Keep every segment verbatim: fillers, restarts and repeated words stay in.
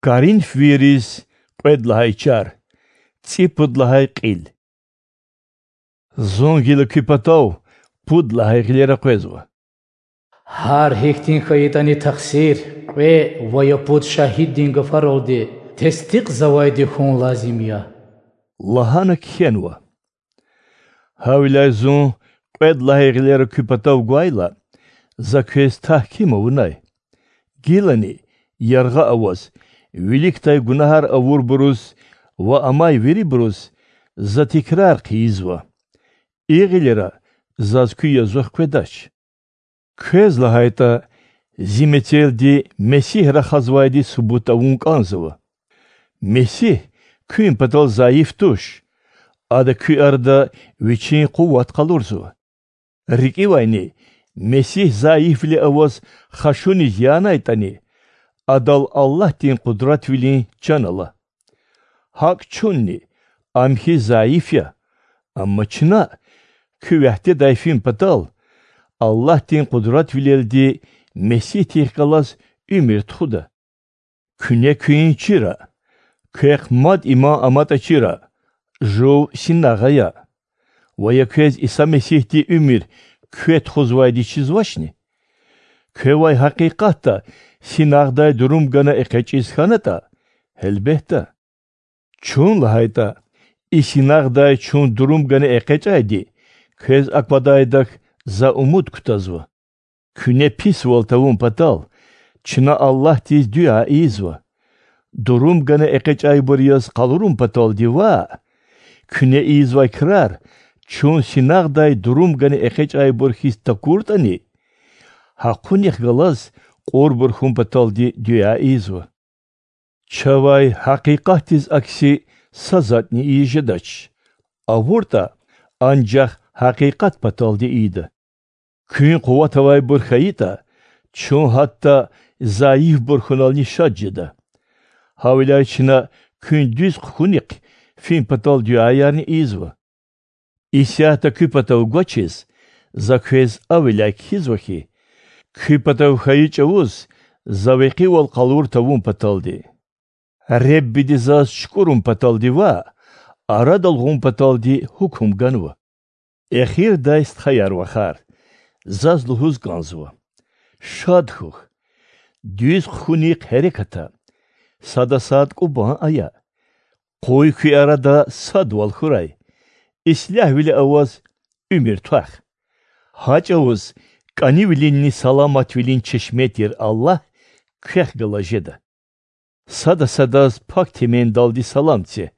Коринфвийриз кьвед лагьай чар, цӀипуд лагьай кьил. Зун гила куь патав пуд лагьай гъилера къвезва. Гьар гьихьтин хьайитӀани тахсир кьве ва я пуд шагьиддин гафаралди тестикьзавайди хьун лазим я,— лагьана кхьенва. Гьавиляй зун кьвед лагьай гъилера куь патав гвайла, за квез тагьким авунай. Гилани, яргъа аваз, виликдай гунагьар авурбуруз ва амай вирибуруз за тикрар хъийизва: и гъилера заз куь язух къведач. Квез, лагьайтӀа, зи мецелди Месигь рахазвайди субут авун кӀанзава. Месигь куьн патал зайиф туш, Ада куь арада Вичин къуват къалурзава. РикӀивайни, Месигь зайифвиле аваз хашуниз янайтӀани, Адал Аллагьдин къудратвилин чан ала. ГьакӀ чунни, Ам хьиз зайиф я, амма чна, куь вягьдедай фин патал, Аллагьдин къудратвилелди Месигьдихъ галаз уьмуьр тухуда. Куьне куьн чира, квехъ мад иман аматӀа чира, жув синагъ ая. Ва я квез Иса Месигьди уьмуьр кве тухузвайди чизвачни? Квевай гьакъикъатда синагъдай дурум гана экъечӀиз хьанатӀа, гьелбетда. Чун, лагьайтӀа, и синагъдай чун дурум гана экъечӀайди квез аквадайдахъ за умуд кутазва. Куьне писвал тавун патал, чна Аллагьдиз дуьа ийизва. Дурум гана экъечӀайбур яз къалурун паталди ваъ, куьне ийизвай крар чун синагъдай дурум гана экъечӀайбур хьиз такуртӀани, гьахъунихъ галаз кьурбур хьун паталди дуьа ийизва. Чавай гьакъикъатдиз акси са затӀни ийиз жедач, авуртӀа, анжах гьакъикъат паталди ийида. Куьн къуват авайбур хьайитӀа, чун гьатта зайифбур хьунални шад жеда. Гьавиляй чна куьн дуьз хъхьунихъ фин патал дуьаярни ийизва. Исятда куь патав гвачиз, за квез гьавиляй кхьизва хьи, куь патав хьайи чӀавуз за векъивал къалур тавун паталди. Реббиди заз чукӀурун паталди ваъ, арадал гъун паталди гьукум ганва. Эхирдай стхаяр-вахар, заз лугьуз кӀанзава: шад хьухь, дуьз хъхьунихъ гьереката, сада сад кӀубан ая, къуй куь арада садвал хьурай, ислягьвиле аваз уьмуьр твах. Гьа чӀавуз кӀанивилинни саламатвилин чешме тир Аллагь квехъ галаз жеда. Сада садаз пак темендалди салам це.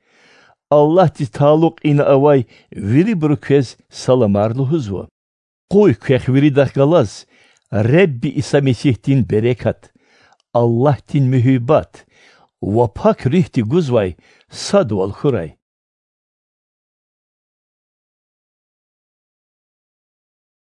Аллагьдиз талукь ина авай вирибуру квез саламар лугьузва. Къуй квехъ виридахъ галаз Ребби Иса Месигьдин берекат, Аллагьдин муьгьуьббат ва Пак Руьгьди гузвай садвал хьурай.